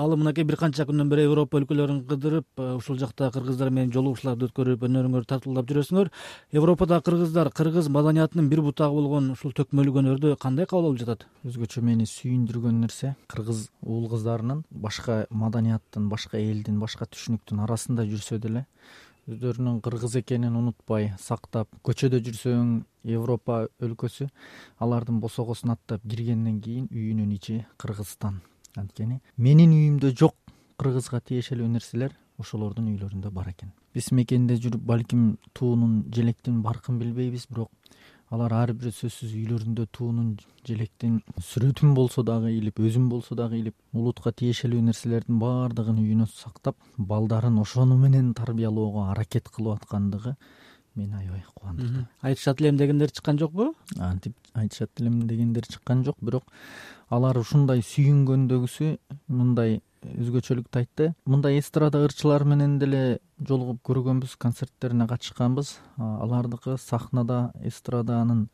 ал мынакей бир канча күндөн бери Европа өлкөлөрүн кыдырып, ушул жакта кыргыздар менен жолугушууларды өткөрүп, өнөрүңөрдү тартуулап жүрөсүңөр. Европада кыргыздар кыргыз маданиятынын бир бутагы болгон ушул төкмөлүк өнөрдү кандай кабыл алып жатат? Өзгөчө мени сүйүндүргөн нерсе кыргыз уул кыздарынын башка маданияттын, башка элдин, башка түшүнүктүн арасында жүрсө деле өздөрүнүн кыргыз экенин унутпай сактап, көчөдө жүрсөң Европа өлкөсү алардын босогосун аттап киргенден кийин үйүнүн ичи Кыргызстан. Анткени менин үйүмдө жок кыргызга тиешелүү нерселер ошолордун үйлөрүндө бар экен. Биз мекенде жүрүп балким туунун, желектин баркын билбейбиз, бирок алар ар бир сөзсүз үйлөрүндө туунун, желектин сүрөтүн болсо дагы илип, өзүн болсо дагы илип, улутка тиешелүү нерселердин баардыгын үйүнө сактап, балдарын ошону менен тарбиялоого аракет кылып аткандыгы мени аябай кубандырды. Айтышат элем дегендер чыккан жокпу? Антип айтышат элем дегендер чыккан жок, бирок алар ушундай сүйүнгөндөгүсү мындай өзгөчөлүктү айтты. Мындай эстрада ырчылар менен деле жолугуп көргөнбүз, концерттерине катышканбыз. Алардыкы сахнада эстраданын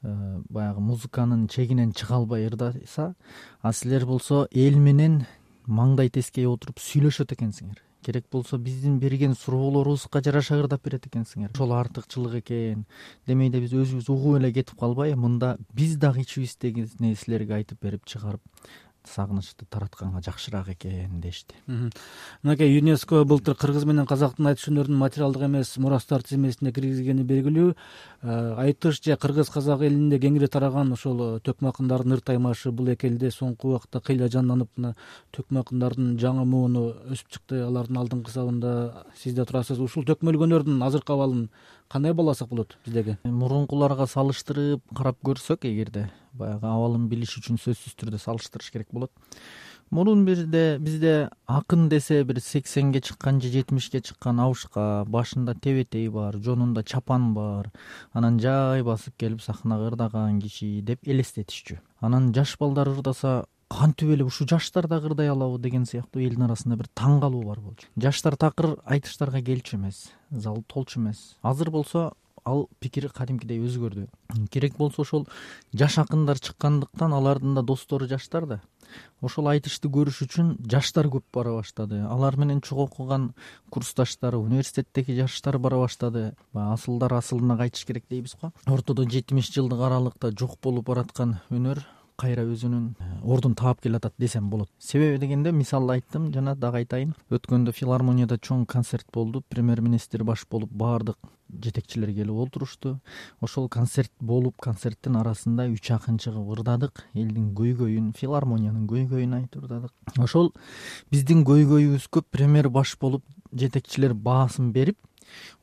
баягы музыканын чегинен чыга албай ырдаса, а силер болсо эл менен маңдай тескей отуруп сүйлөшөт экенсиңер. Керек болсо биздин берген суроолорубузга жараша ырдап берет экенсиңер. Ошол артыкчылык экен. Демейде биз өзүбүз угуп эле кетип калбай, мында биз дагы ичибиздегини силерге айтып берип чыгарып, сагынычты таратканга жакшыраак экен дешти. Мынакей ЮНЕСКО былтыр кыргыз менен казактын айтыш өнөрүнүн материалдык эмес мурастар тизмесине киргизгени белгилүү. Айтыш же кыргыз-казак элинде кеңири тараган ошол төкмө акындардын ырт аймашы бул эки элде соңку убакта кыйла жанданып, мына төкмө акындардын жаңы мууну өсүп чыкты. Алардын алдыңкы сабында сиз да турасыз. Ушул төкмөлүк өнөрдүн азыркы абалын кандай бааласак болот биздеги? Мурункуларга салыштырып карап көрсөк, эгерде баягы абалын билиш үчүн сөзсүз түрдө салыштырыш керек болот. Мурун бизде акын десе бир 80ге чыккан же 70ке чыккан абышка, башында тебетей бар, жонунда чапан бар, анан жай басып келип сахнага ырдаган киши деп элестетишчү. Анан жаш балдар ырдаса, кантип эле ушу жаштар да ырдай алабы деген сыяктуу элдин арасында бир таң калуу бар болчу. Жаштар такыр айтыштарга келчү эмес, зал толчу эмес. Азыр болсо ал пикир кадимкидей өзгөрдү. Керек болсо ошол жаш акындар чыккандыктан алардын да достору жаштар да. Ошол айтышты көрүш үчүн жаштар көп бара баштады. Алар менен чогуу окуган курсташтар, университеттеги жаштар бара баштады. Асылдар асылына кайтыш керек дейбиз го. Ортодо 70 жылдык аралыкта жок болуп бараткан өнөр кайра өзүнүн ордун таап келатат десем болот. Себеби дегенде, мисал айттым, жана дагы айтайын. Өткөндө филармонияда чоң концерт болду. Премьер-министр баш болуп баардык жетекчилер келип олтурушту. Ошол концерт болуп, концерттин арасында 3 акын чыгып ырдадык. Элдин көйгөйүн, филармониянын көйгөйүн айтып ырдадык. Ошол биздин көйгөйүбүзгө премьер баш болуп жетекчилер баасын берип,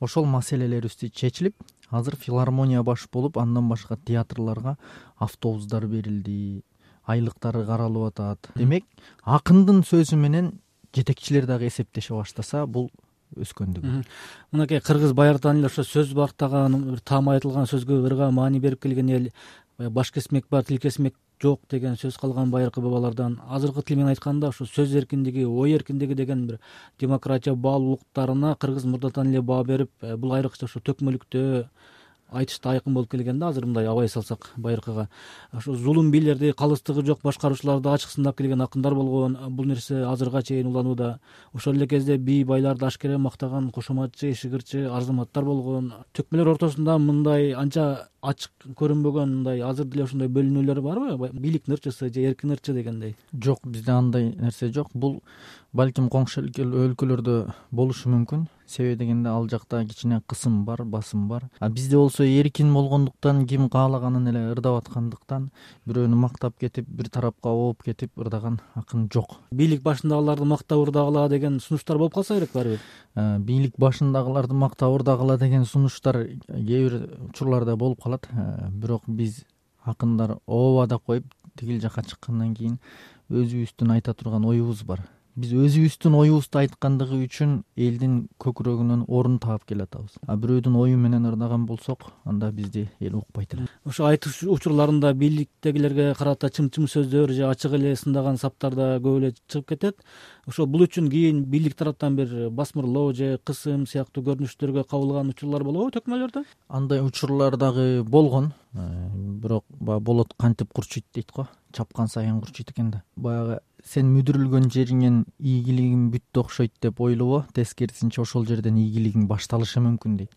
ошол маселелерибизди чечилип, азыр филармония баш болуп, андан башка театрларга автобустар берилди, айлыктары каралып атат. Демек, акындын сөзү менен жетекчилер дагы эсептеше баштаса, бул өскөндүгү. Мынакей кыргыз баярдан эле ошо сөз бактаган, бир таам айтылган сөзгө ырга маани берип келген эл, баш кесмек бар, тил кесмек жок деген сөз калган байыркы бабалардан. Азыркы тил менен айтканда, ушу сөз эркиндиги, ой эркиндиги деген бир демократия баалуулуктарына кыргыз мурдатан эле баа берип, бул айрыкча ушу төкмөлүктө айтышта айкын болуп келген да. Азыр мындай абай салсак байыркыга, ошо зулум бийлерди, калыстыгы жок башкаруучуларды ачык сындап келген акындар болгон. Бул нерсе азырга чейин уланууда. Ошол эле кезде бий байларды ашкере мактаган кошоматчы, ишигирчи арзыматтар болгон. Төкмөлөр ортосунда мындай анча ачык көрүнбөгөн, мындай азыр деле ошондой бөлүнүүлөр барбы? Бийликтин ырчысы же эркин ырчы дегендей. Жок, бизде андай нерсе жок. Бул балким коңшу өлкөлөрдө болушу мүмкүн. Себеби дегенде, ал жакта кичине кысым бар, басым бар. А бизде болсо эркин болгондуктан, ким каалаганын эле ырдап аткандыктан, бирөөнү мактап кетип, бир тарапка ооп кетип ырдаган акын жок. Бийлик башындагыларды мактап ырдагыла деген сунуштар болуп калса керек барбы? Бийлик башындагыларды мактап ырдагыла деген сунуштар кээ бир учурларда болуп калат. Бирок биз акындар ооба деп коюп, тигил жака чыккандан кийин өзүбүздүн айта турган оюбуз бар. Биз өзүбүздүн оюбузду айткандыгы үчүн элдин көкүрөгүнөн орун таап келатабыз. А бирөөдүн ою менен ырдаган болсок, анда бизди эл укпайт эле. Ошо айтыш учурларында бийликтегилерге карата чым-чым сөздөр же ачык эле сындаган саптар да көп эле чыгып кетет. Ошо бул үчүн кийин бийлик тараптан бир басмырлоо же кысым сыяктуу көрүнүштөргө кабылган учурлар болобу төкмөлөрдө? Андай учурлар дагы болгон. Бирок болот кантип курчуйт дейт го. Чапкан сайын курчуйт экен да. Баягы сен мүдүрүлгөн жериңен ийгилигиң бүттү окшойт деп ойлобо, тескерисинче ошол жерден ийгилигиң башталышы мүмкүн дейт.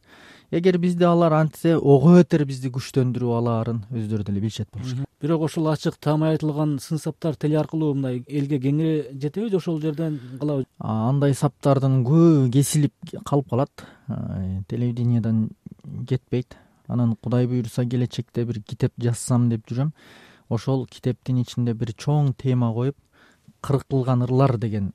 Эгер бизде алар антсе, ого бетер бизди күчтөндүрүп алаарын өздөрү деле билишет болуш керек. Бирок ошол ачык таамай айтылган сын саптар теле аркылуу мындай элге кеңири жетеби же ошол жерден калабы? Андай саптардын көбү кесилип калып калат, телевидениядан кетпейт. Анан Кудай буйруса келечекте бир китеп жазсам деп жүрөм. Ошол китептин ичинде бир чоң тема коюп, кыркылган ырлар деген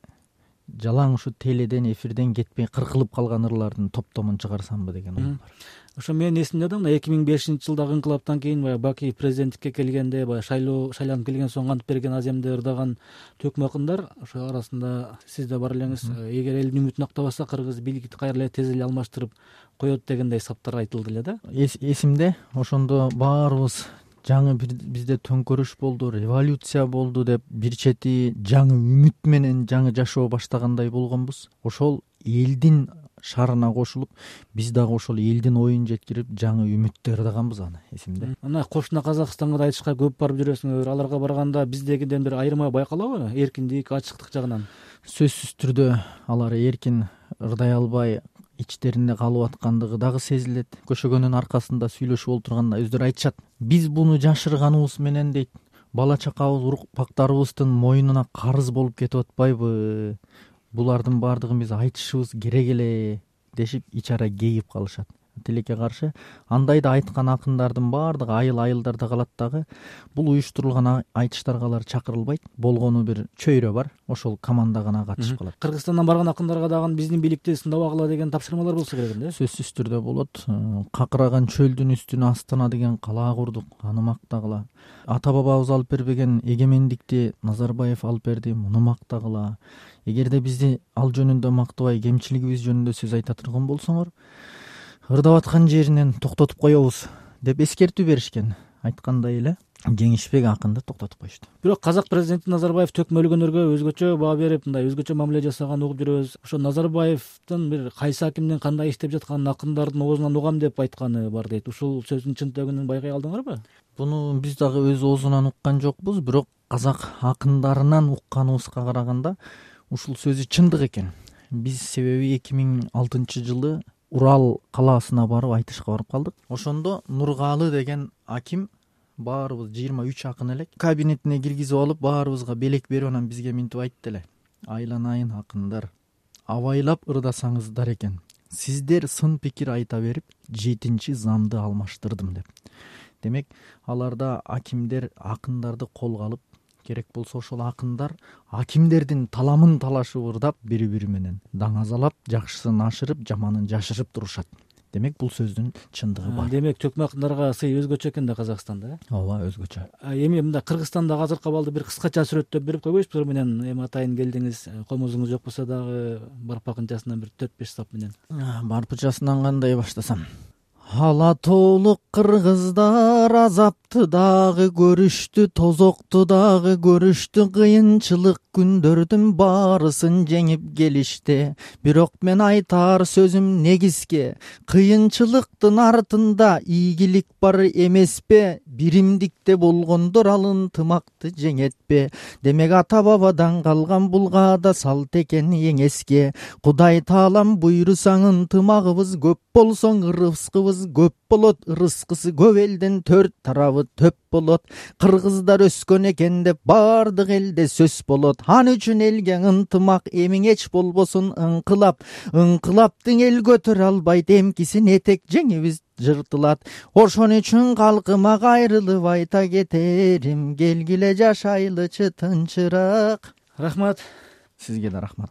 жалаң ушу теледен, эфирден кетпей кыркылып калган ырлардын топтомун чыгарсамбы деген ой бар. Ошо менин эсимде да, мына 2005-жылдагы инкылаптан кийин баягы Баки президенттикке келгенде, баягы шайланып келген соң антып берген аземди ырдаган төкмө акындар, ошо арасында сиз да бар элеңиз. Эгер элдин үмүтүн актабаса, кыргыз бийликти кайра эле тез эле алмаштырып коет дегендей саптар айтылды эле да. Эсимде, ошондо баарыбыз жаңы бизде төңкөрүш болду, революция болду деп бир чети жаңы үмүт менен жаңы жашоо баштагандай болгонбуз. Ошол элдин шарына кошулуп, биз дагы ошол элдин оюн жеткирип жаңы үмүттү ырдаганбыз, аны эсимде. Мына кошуна Казакстанга да айтышка көп барып жүрөсүңөр. Аларга барганда биздегиден бир айырма байкалабы? Эркиндик, ачыктык жагынан. Сөзсүз түрдө алар эркин ырдай албай, ичтеринде калып аткандыгы дагы сезилет. Көшөгөнүн аркасында сүйлөшүп отурганда өздөрү айтышат. Биз буну жашырганыбыз менен дейт, бала чакабыз, урукпактарыбыздын мойнуна карыз болуп кетип атпайбы? Булардын баардыгын биз айтышыбыз керек эле дешип ич ара кейип калышат. Тилекке каршы андай да айткан акындардын баардыгы айылдарда калат дагы. Бул уюштурулган айтыштарга алар чакырылбайт. Болгону бир чөйрө бар, ошол команда гана катышып калат. Кыргызстандан барган акындарга дагы биздин бийликти сындабагыла деген тапшырмалар болсо керек эле. Сөзсүз түрдө болот. Какыраган чөлдүн үстүнө Астана деген калаа курдук, аны мактагыла. Ата бабабыз алып бербеген эгемендикти Назарбаев алып берди, муну мактагыла. Эгерде бизди ал жөнүндө мактабай, кемчилигибиз жөнүндө сөз айта турган болсоңор, ырдап аткан жеринен токтотуп коебуз деп эскертүү беришкен. Айткандай эле Жеңишбек акынды токтотуп коюшту. Бирок казак президенти Назарбаев төкмөлгөнөргө өзгөчө баа берип, мындай өзгөчө мамиле жасаганын угуп жүрөбүз. Ошо Назарбаевдин бир кайсы акимдин кандай иштеп жатканын акындардын оозунан угам деп айтканы бар дейт. Ушул сөздүн чынтыгын байкай алдыңарбы? Буну биз дагы өз оозунан уккан жокпуз, бирок казак акындарынан укканыбызга караганда ушул сөзү чындык экен. Биз себеби 2006-жылы Урал калаасына барып айтышка барып калдык. Ошондо Нургалы деген аким баарыбыз 23 акын элек кабинетине киргизип алып, баарыбызга белек берип, анан бизге минтип айтты эле: айланайын акындар, абайлап ырдасаңыздар экен, сиздер сын пикир айта берип 7 замды алмаштырдым деп. Демек, аларда акимдер акындарды колго алып, керек болсо ошол акындар акимдердин таламын талашып ырдап, бири-бири менен даңазалап, жакшысын ашырып, жаманын жашырып турушат. Демек, бул сөздүн чындыгы бар. Демек, төкмө акындарга сый өзгөчө экен да Казакстанда. Ооба, өзгөчө. Эми мындай Кыргызстанда азыркы абалды бир кыскача сүрөттөп берип койбойсузбу менен? Эми атайын келдиңиз, комузуңуз жок болсо дагы барпакынчасынан бир 4-5 сап менен. Барпычасынан кандай баштасам? Ала тоолук кыргыздар азапты дагы көрүштү, тозокту дагы көрүштү, кыйынчылык күндөрдүн баарысын жеңип келишти. Бирок мен айтар сөзүм негизге, кыйынчылыктын артында ийгилик бар эмеспи? Биримдикте болгондор ал ынтымакты жеңетпи? Демек, ата бабадан калган булга да салт экен эң эске. Кудай таалам буйрусаң ынтымагыбыз көп болсоң, ырыскыбыз көп болот, ырыскысы көп элден 4 тарабы төп болот. Кыргыздар өскөн экен деп бардык элде сөз болот. Ан үчүн элге ынтымак, эмиң эч болбосун ыңкылап. Ыңкылаптың эл көтөрө албайт, эмкисин этек жеңибиз жыртылат. Ошон үчүн калкыма кайрылып айта кетерим, келгиле жашайлычы тынчыраак. Рахмат. Сизге да рахмат.